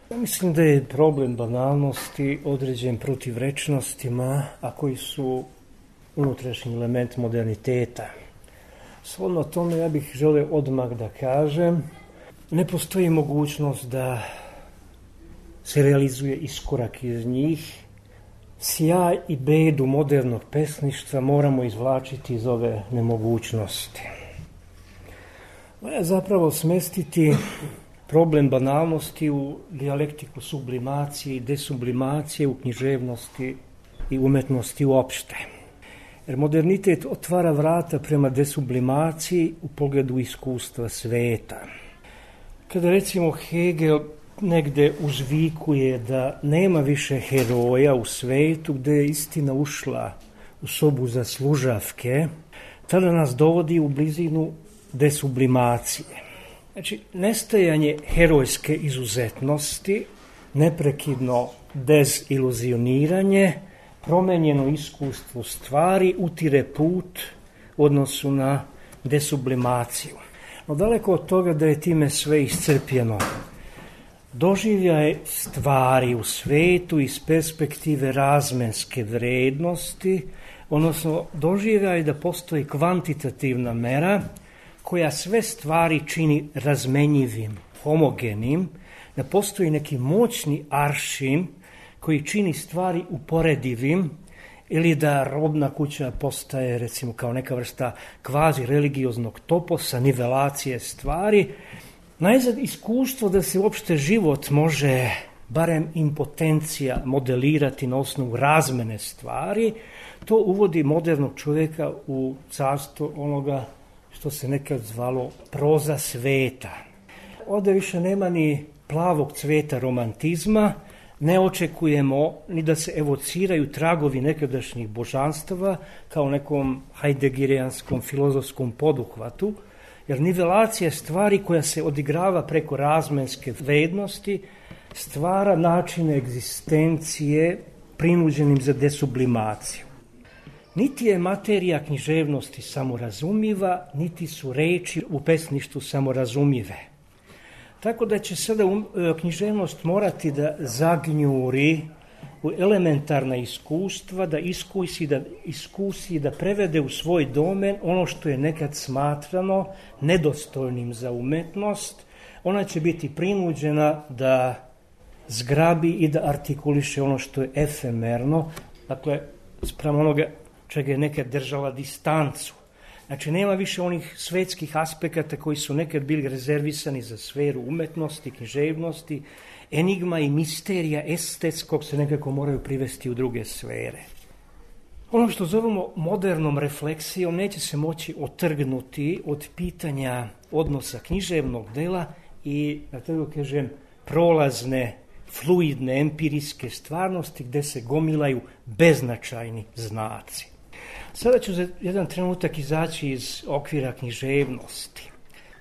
Ja mislim da je problem banalnosti određen protivrečnostima, a koji su unutrašnji element moderniteta. Shodno tome ja bih želeo odmah da kažem, ne postoji mogućnost da se realizuje iskorak iz njih. Sjaj i bedu modernog pesništva moramo izvlačiti iz ove nemogućnosti. Valja zapravo smestiti problem banalnosti u dijalektiku sublimacije i desublimacije u književnosti i umetnosti uopšte. Jer modernitet otvara vrata prema desublimaciji u pogledu iskustva sveta. Kada recimo Hegel negde uzvikuje da nema više heroja u svetu gde je istina ušla u sobu za služavke, tada nas dovodi u blizinu desublimacije. Znači, nestajanje herojske izuzetnosti, neprekidno deziluzioniranje, promenjeno iskustvo stvari utire put u odnosu na desublimaciju. No daleko od toga da je time sve iscrpljeno. Doživljaj stvari u svetu iz perspektive razmenske vrednosti, odnosno doživljaj da postoji kvantitativna mera koja sve stvari čini razmenjivim, homogenim, da postoji neki moćni aršin koji čini stvari uporedivim, ili da robna kuća postaje recimo kao neka vrsta kvazi religioznog toposa, nivelacije stvari. Najzad iskustvo da se uopšte život može, barem impotencija, modelirati na osnovu razmene stvari, to uvodi modernog čovjeka u carstvo onoga što se nekad zvalo proza sveta. Ovdje više nema ni plavog cveta romantizma, ne očekujemo ni da se evociraju tragovi nekadašnjih božanstava kao nekom hajdegirijanskom filozofskom poduhvatu, jer nivelacija stvari koja se odigrava preko razmenske vrednosti stvara načine egzistencije prinuđenim za desublimaciju. Niti je materija književnosti samorazumljiva, niti su reči u pesništvu samorazumljive. Tako da će sada književnost morati da zagnjuri u elementarna iskustva, da iskusi, da prevede u svoj domen ono što je nekad smatrano nedostojnim za umetnost. Ona će biti prinuđena da zgrabi i da artikuliše ono što je efemerno, dakle, spram onoga čega je nekad držala distancu. Znači, nema više onih svetskih aspekata koji su nekad bili rezervisani za sferu umetnosti, književnosti, enigma i misterija estetskog se nekako moraju privesti u druge sfere. Ono što zovemo modernom refleksijom neće se moći otrgnuti od pitanja odnosa književnog dela i, da tako kažem, prolazne, fluidne, empirijske stvarnosti gde se gomilaju beznačajni znaci. Sada ću za jedan trenutak izaći iz okvira književnosti.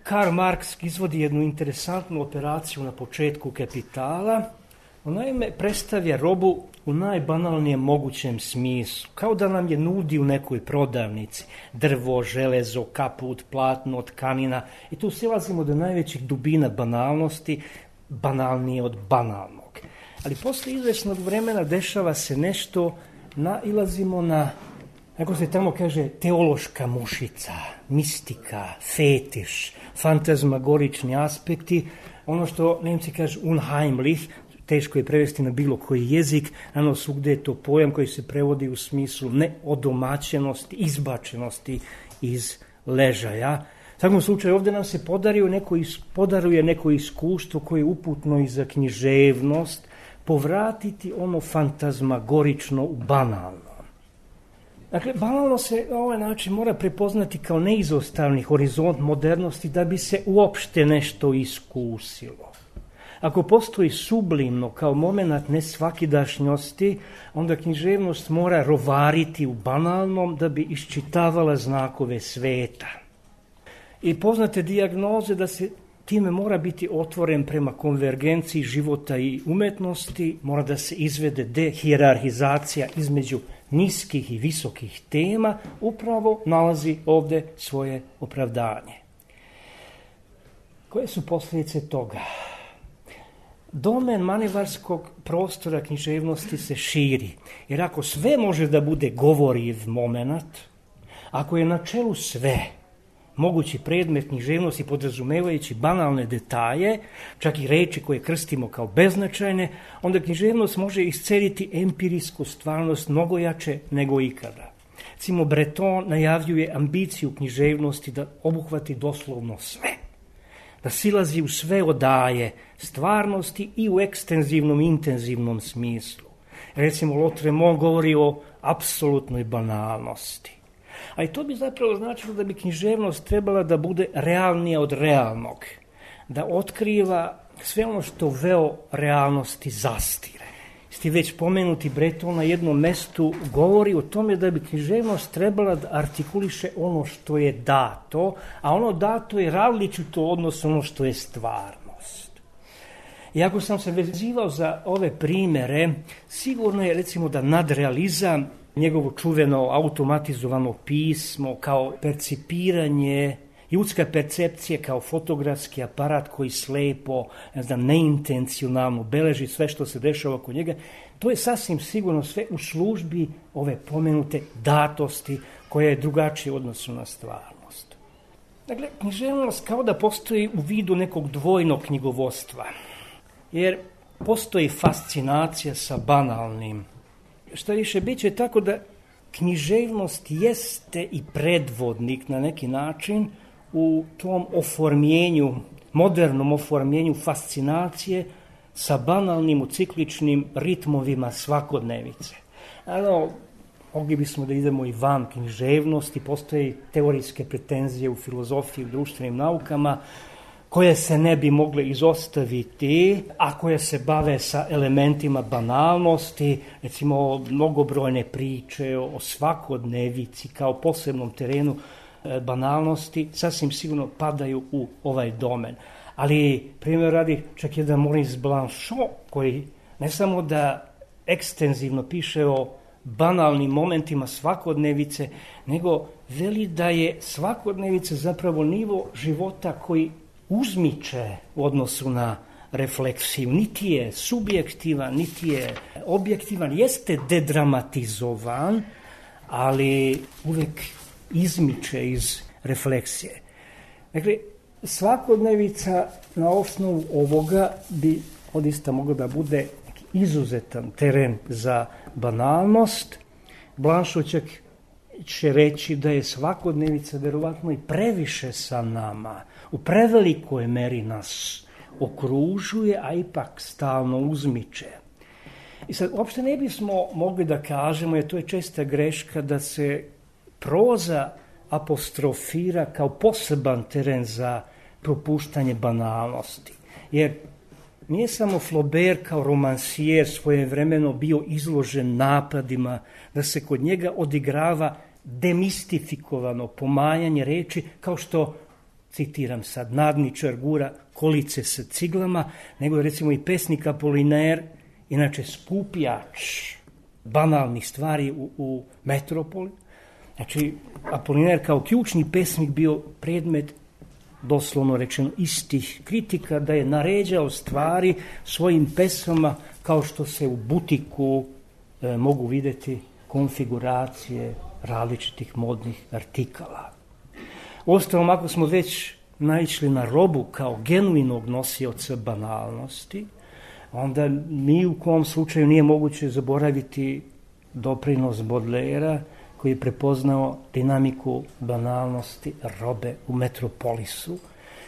Karl Marx izvodi jednu interesantnu operaciju na početku Kapitala. On naime predstavlja robu u najbanalnijem mogućem smislu, kao da nam je nudi u nekoj prodavnici drvo, železo, kaput, platno, tkanina i tu silazimo do najvećih dubina banalnosti, banalnije od banalnog. Ali posle izvesnog vremena dešava se nešto, nailazimo na, kako se tamo kaže, teološka mušica, mistika, fetiš, fantazmagorični aspekti, ono što Nemci kažu unheimlich, teško je prevesti na bilo koji jezik, ano svugde je to pojam koji se prevodi u smislu neodomaćenosti, izbačenosti iz ležaja. U takvom slučaju ovdje nam se podaruje neko iskustvo koje je uputno i za književnost, povratiti ono fantazmagorično u banalno. Dakle, banalno se na ovaj način mora prepoznati kao neizostavni horizont modernosti da bi se uopšte nešto iskusilo. Ako postoji sublimno kao moment nesvakidašnjosti, onda književnost mora rovariti u banalnom da bi iščitavala znakove sveta. I poznate dijagnoze da se time mora biti otvoren prema konvergenciji života i umetnosti, mora da se izvede dehijerarhizacija između niskih i visokih tema, upravo nalazi ovdje svoje opravdanje. Koje su posljedice toga? domen manevarskog prostora književnosti se širi. Jer ako sve može da bude govoriv moment, ako je na čelu sve mogući predmet književnosti podrazumevajući banalne detalje, čak i reči koje krstimo kao beznačajne, onda književnost može isceliti empirijsku stvarnost mnogo jače nego ikada. Recimo, Breton najavljuje ambiciju književnosti da obuhvati doslovno sve, da silazi u sve odaje stvarnosti i u ekstenzivnom i intenzivnom smislu. Recimo, Lautréamont govori o apsolutnoj banalnosti. A i to bi zapravo značilo da bi književnost trebala da bude realnija od realnog, da otkriva sve ono što veo realnosti zastire. Sti već pomenuti Breton na jednom mestu govori o tome da bi književnost trebala da artikuliše ono što je dato, a ono dato je različito odnosno ono što je stvarnost. I ako sam se vezivao za ove primere, sigurno je recimo da nadrealizam, njegovo čuveno automatizovano pismo kao percipiranje, ljudska percepcija kao fotografski aparat koji slepo, neintencionalno beleži sve što se dešava oko njega, to je sasvim sigurno sve u službi ove pomenute datosti koja je drugačija u odnosu na stvarnost. Dakle, književnost kao da postoji u vidu nekog dvojnog knjigovodstva, jer postoji fascinacija sa banalnim. Što više, bit će tako da književnost jeste i predvodnik na neki način u tom oformljenju, modernom oformljenju fascinacije sa banalnim u cikličnim ritmovima svakodnevice. Ano, mogli bismo da idemo i van književnosti, postoje teorijske pretenzije u filozofiji, u društvenim naukama, koje se ne bi mogle izostaviti, a koje se bave sa elementima banalnosti, recimo mnogobrojne priče o svakodnevici kao posebnom terenu banalnosti, sasvim sigurno padaju u ovaj domen. Ali, primjer radi, čak jedan Maurice Blanchot, koji ne samo da ekstenzivno piše o banalnim momentima svakodnevice, nego veli da je svakodnevica zapravo nivo života koji uzmiče u odnosu na refleksiju. Niti je subjektivan, niti je objektivan, jeste dedramatizovan, ali uvek izmiče iz refleksije. Dakle, svakodnevica na osnovu ovoga bi odista mogla da bude izuzetan teren za banalnost. Blanchot će reći da je svakodnevica verovatno i previše sa nama, u prevelikoj meri nas okružuje, a ipak stalno uzmiče. I sad, uopšte ne bismo mogli da kažemo, jer to je česta greška, da se proza apostrofira kao poseban teren za propuštanje banalnosti. Jer nije samo Flaubert kao romansijer svojevremeno bio izložen napadima da se kod njega odigrava demistifikovano pomajanje reči, kao što, citiram sad, nadničar gura kolice sa ciglama, nego je recimo i pesnik Apollinaire, inače skupljač banalnih stvari u metropoli. Znači, Apollinaire kao ključni pesnik bio predmet, doslovno rečeno, istih kritika, da je naređao stvari svojim pesama kao što se u butiku mogu videti konfiguracije različitih modnih artikala. Uostalom, ako smo već naišli na robu kao genuinog nosioca banalnosti, onda ni u kom slučaju nije moguće zaboraviti doprinos Baudelairea, koji je prepoznao dinamiku banalnosti robe u metropolisu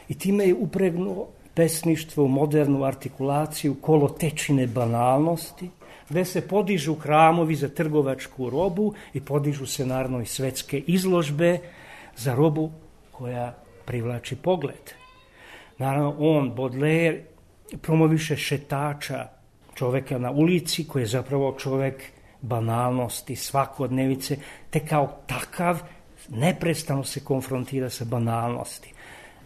i time je upregnuo pesništvo u modernu artikulaciju kolotečine banalnosti, gde se podižu hramovi za trgovačku robu i podižu se naravno i svetske izložbe za robu koja privlači pogled. Naravno, on, Baudelaire, promoviše šetača, čoveka na ulici, koji je zapravo čovek banalnosti, svakodnevice, te kao takav neprestano se konfrontira sa banalnosti.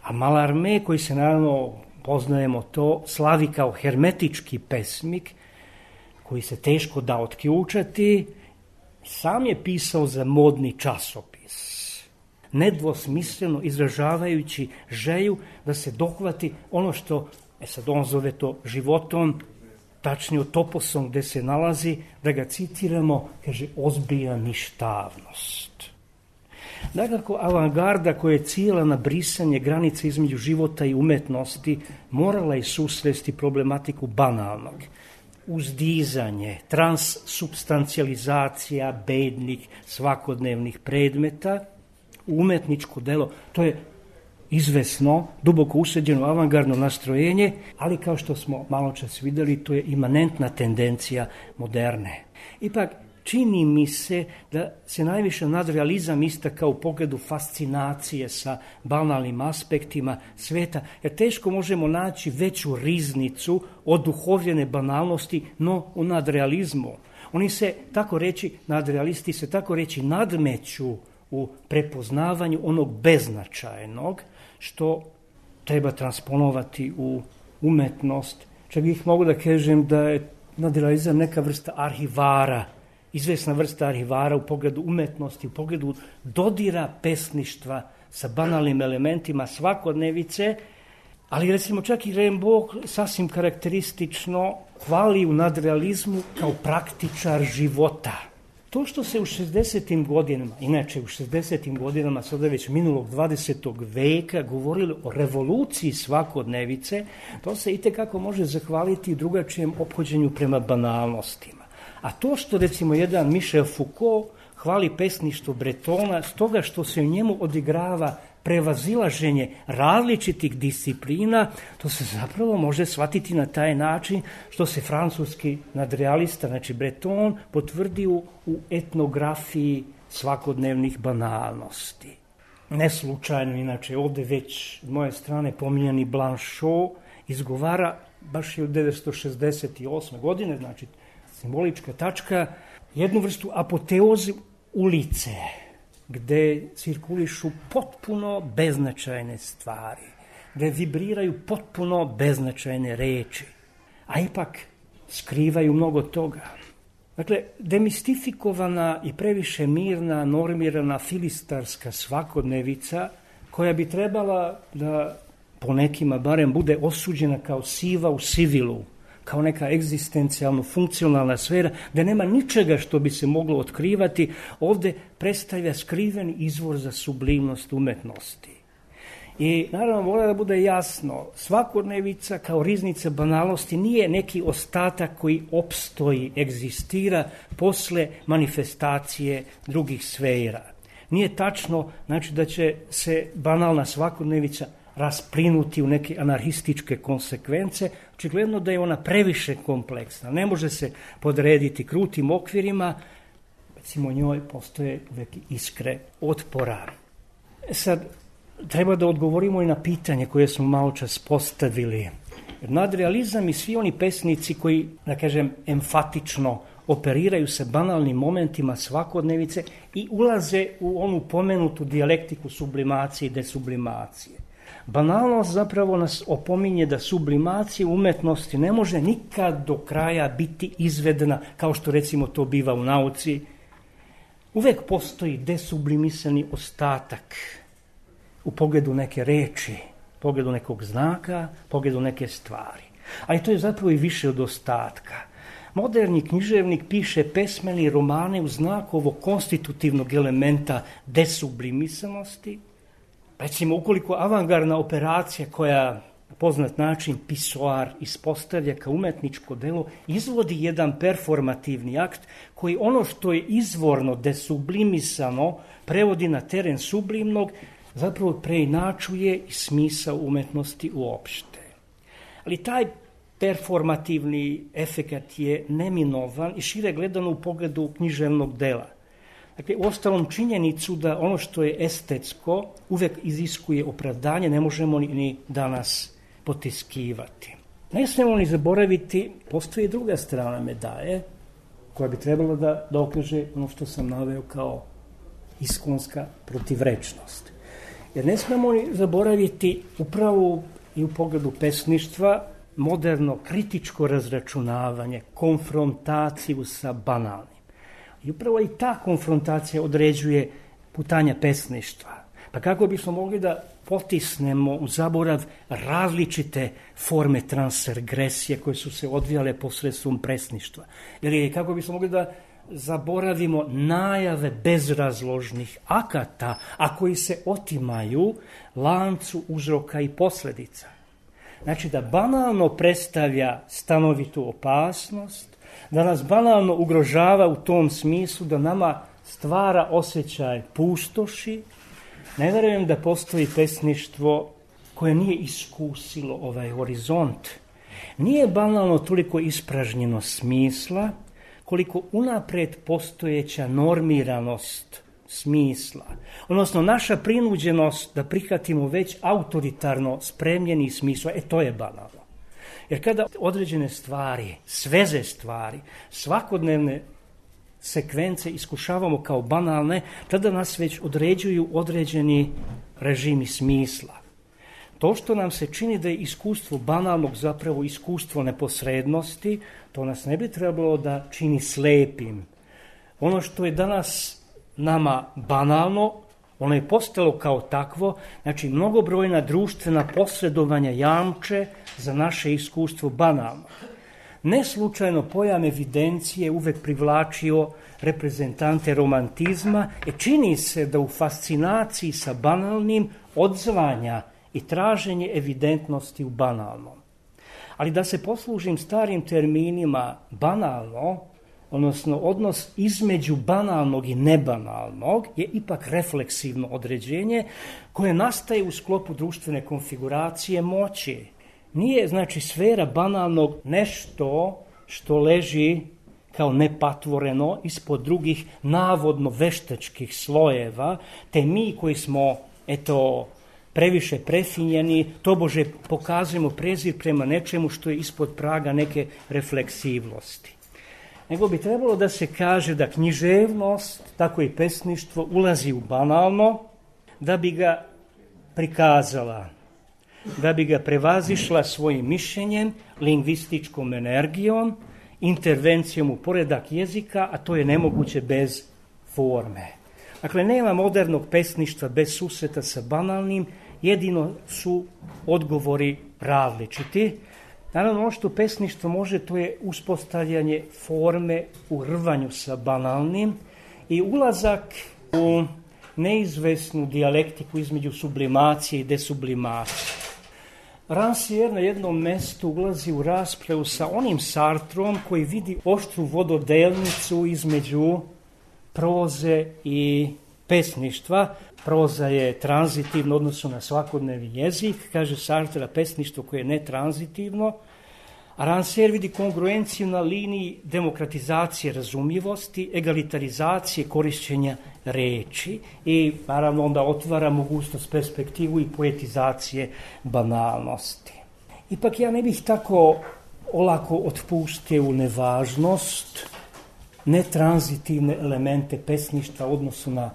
A Mallarmé, koji se naravno, poznajemo to, slavi kao hermetički pesmik, koji se teško da otključati, sam je pisao za modni časopis, nedvosmisleno izražavajući želju da se dohvati ono što Sad on zove to životom, tačnije toposom gde se nalazi, da ga citiramo, kaže, ozbilja ništavnost. Dakako, avangarda koja je cijela na brisanje granice između života i umetnosti morala je susresti problematiku banalnog. Uzdizanje, transsubstancijalizacija bednih svakodnevnih predmeta, umetničko delo, to je izvesno, duboko useđeno avangardno nastrojenje, ali kao što smo malo čas videli, to je imanentna tendencija moderne. Ipak, čini mi se da se najviše nadrealizam istakao u pogledu fascinacije sa banalnim aspektima sveta, jer teško možemo naći veću riznicu od duhovljene banalnosti, no u nadrealizmu. Oni se, tako reći, nadrealisti se tako reći nadmeću u prepoznavanju onog beznačajnog, što treba transponovati u umetnost. Čak bih mogu da kažem da je nadrealizam neka vrsta arhivara, izvesna vrsta arhivara u pogledu umetnosti, u pogledu dodira pesništva sa banalnim elementima svakodnevice, ali recimo čak i Rimbaud sasvim karakteristično hvali u nadrealizmu kao praktičar života. To što se u 60. godinama, inače u 60. godinama sada već minulog 20. veka govorili o revoluciji svakodnevice, to se itekako može zahvaliti drugačijem ophođenju prema banalnostima. A to što recimo jedan Michel Foucault hvali pesništvo Bretona stoga što se u njemu odigrava prevazilaženje različitih disciplina, to se zapravo može shvatiti na taj način što se francuski nadrealista, znači Breton, potvrdi u etnografiji svakodnevnih banalnosti. Ne slučajno, inače, ovde već s moje strane pominjani Blanchot izgovara baš je u 1968. godine, znači simbolička tačka, jednu vrstu apoteoze ulice, gde cirkulišu potpuno beznačajne stvari, gde vibriraju potpuno beznačajne reči, a ipak skrivaju mnogo toga. Dakle, demistifikovana i previše mirna, normirana filistarska svakodnevica, koja bi trebala da po nekima barem bude osuđena kao siva u sivilu, kao neka egzistencijalno funkcionalna sfera, da nema ničega što bi se moglo otkrivati, ovde predstavlja skriveni izvor za sublimnost umetnosti. I naravno mora da bude jasno, svakodnevica kao riznica banalnosti nije neki ostatak koji opstoji, egzistira posle manifestacije drugih sfera. Nije tačno, znači, da će se banalna svakodnevica rasplinuti u neke anarhističke konsekvence, očigledno da je ona previše kompleksna, ne može se podrediti krutim okvirima, recimo njoj postoje uvek iskre otpora. Sad, treba da odgovorimo i na pitanje koje smo malo čas postavili. Nadrealizam i svi oni pesnici koji, da kažem, emfatično operiraju se banalnim momentima svakodnevice i ulaze u onu pomenutu dijalektiku sublimacije i desublimacije. Banalnost zapravo nas opominje da sublimacija umetnosti ne može nikad do kraja biti izvedena, kao što recimo to biva u nauci. Uvek postoji desublimisani ostatak u pogledu neke reči, u pogledu nekog znaka, u pogledu neke stvari. Ali to je zapravo i više od ostatka. Moderni književnik piše pesmeni romane u znaku ovog konstitutivnog elementa desublimisanosti. Recimo, ukoliko avangardna operacija koja na poznat način pisoar ispostavlja kao umetničko delo, izvodi jedan performativni akt koji ono što je izvorno desublimisano prevodi na teren sublimnog, zapravo preinačuje i smisao umetnosti uopšte. Ali taj performativni efekat je neminovan i šire gledano u pogledu književnog dela. Dakle, uostalom činjenicu da ono što je estetsko uvek iziskuje opravdanje, ne možemo ni danas potiskivati. Ne smemo ni zaboraviti, postoji druga strana medalje koja bi trebala da dokaže ono što sam naveo kao iskonska protivrečnost. Jer ne smemo ni zaboraviti upravo i u pogledu pesništva moderno kritičko razračunavanje, konfrontaciju sa banalnim. I upravo i ta konfrontacija određuje putanja pesništva. Pa kako bismo mogli da potisnemo u zaborav različite forme transgresije koje su se odvijale posredstvom presništva. Ili kako bismo mogli da zaboravimo najave bezrazložnih akata, a koji se otimaju lancu uzroka i posljedica. Znači da banalno predstavlja stanovitu opasnost, da nas banalno ugrožava u tom smislu da nama stvara osjećaj pustoši. Ne vjerujem da postoji pesništvo koje nije iskusilo ovaj horizont. Nije banalno toliko ispražnjeno smisla, koliko unaprijed postojeća normiranost smisla, odnosno naša prinuđenost da prihvatimo već autoritarno spremljeni smisla, to je banalno. Jer kada određene stvari, sveze stvari, svakodnevne sekvence iskušavamo kao banalne, tada nas već određuju određeni režimi smisla. To što nam se čini da je iskustvo banalnog zapravo iskustvo neposrednosti, to nas ne bi trebalo da čini slepim. Ono što je danas nama banalno, ono je postalo kao takvo, znači mnogobrojna društvena posredovanja jamče za naše iskustvo banalno. Ne slučajno pojam evidencije uvek privlačio reprezentante romantizma i čini se da u fascinaciji sa banalnim odzvanja i traženje evidentnosti u banalnom. Ali da se poslužim starim terminima banalno, odnosno odnos između banalnog i nebanalnog je ipak refleksivno određenje koje nastaje u sklopu društvene konfiguracije moći. Nije znači sfera banalnog nešto što leži kao nepatvoreno ispod drugih navodno veštačkih slojeva, te mi koji smo previše prefinjeni, tobože pokazujemo prezir prema nečemu što je ispod praga neke refleksivnosti. Nego bi trebalo da se kaže da književnost, tako i pesništvo, ulazi u banalno, da bi ga prikazala, da bi ga prevazišla svojim mišljenjem, lingvističkom energijom, intervencijom u poredak jezika, a to je nemoguće bez forme. Dakle, nema modernog pesništva bez susreta sa banalnim, jedino su odgovori različiti. Naravno, ono što pesništvo može, to je uspostavljanje forme u rvanju sa banalnim i ulazak u neizvesnu dijalektiku između sublimacije i desublimacije. Rancière na jednom mestu ulazi u raspravu sa onim Sartrom koji vidi oštru vododelnicu između proze i pesništva. Proza je tranzitivna u odnosu na svakodnevni jezik, kaže Sartre, pesništvo koje je netranzitivno, a Rancière vidi kongruenciju na liniji demokratizacije razumljivosti, egalitarizacije korišćenja reči i naravno onda otvara mogućnost, perspektivu i poetizacije banalnosti. Ipak ja ne bih tako olako otpustio u nevažnost netranzitivne elemente pesništva u odnosu na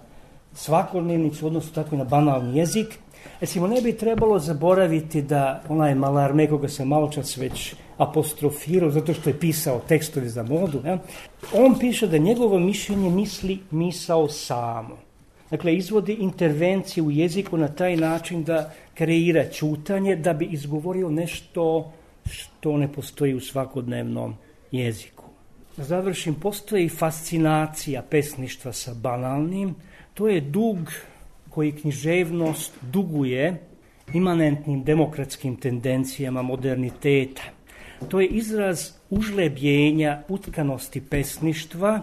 svakodnevnicu, odnosno tako i na banalni jezik. Recimo, ne bi trebalo zaboraviti da onaj Mallarmé, koga sam maločas već apostrofirao, zato što je pisao tekstove za modu, on piše da njegovo mišljenje misli misao samo. Dakle, izvodi intervenciju u jeziku na taj način da kreira ćutanje, da bi izgovorio nešto što ne postoji u svakodnevnom jeziku. Da završim, postoji fascinacija pesništva sa banalnim. To je dug koji književnost duguje imanentnim demokratskim tendencijama moderniteta. To je izraz užlebljenja utkanosti pesništva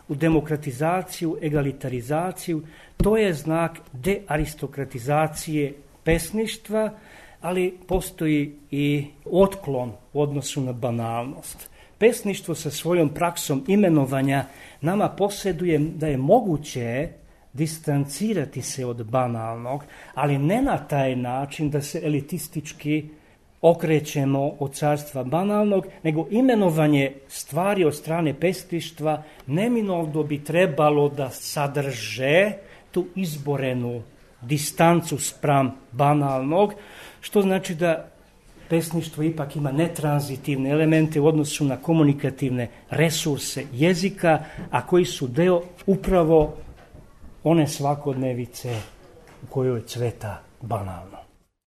u demokratizaciju, egalitarizaciju. To je znak dearistokratizacije pesništva, ali postoji i otklon u odnosu na banalnost. Pesništvo sa svojom praksom imenovanja nama posjeduje da je moguće distancirati se od banalnog, ali ne na taj način da se elitistički okrećemo od carstva banalnog, nego imenovanje stvari od strane pesništva neminovno bi trebalo da sadrže tu izborenu distancu spram banalnog, što znači da pesništvo ipak ima netranzitivne elemente u odnosu na komunikativne resurse jezika, a koji su deo upravo one svakodnevice u kojoj cveta banalno.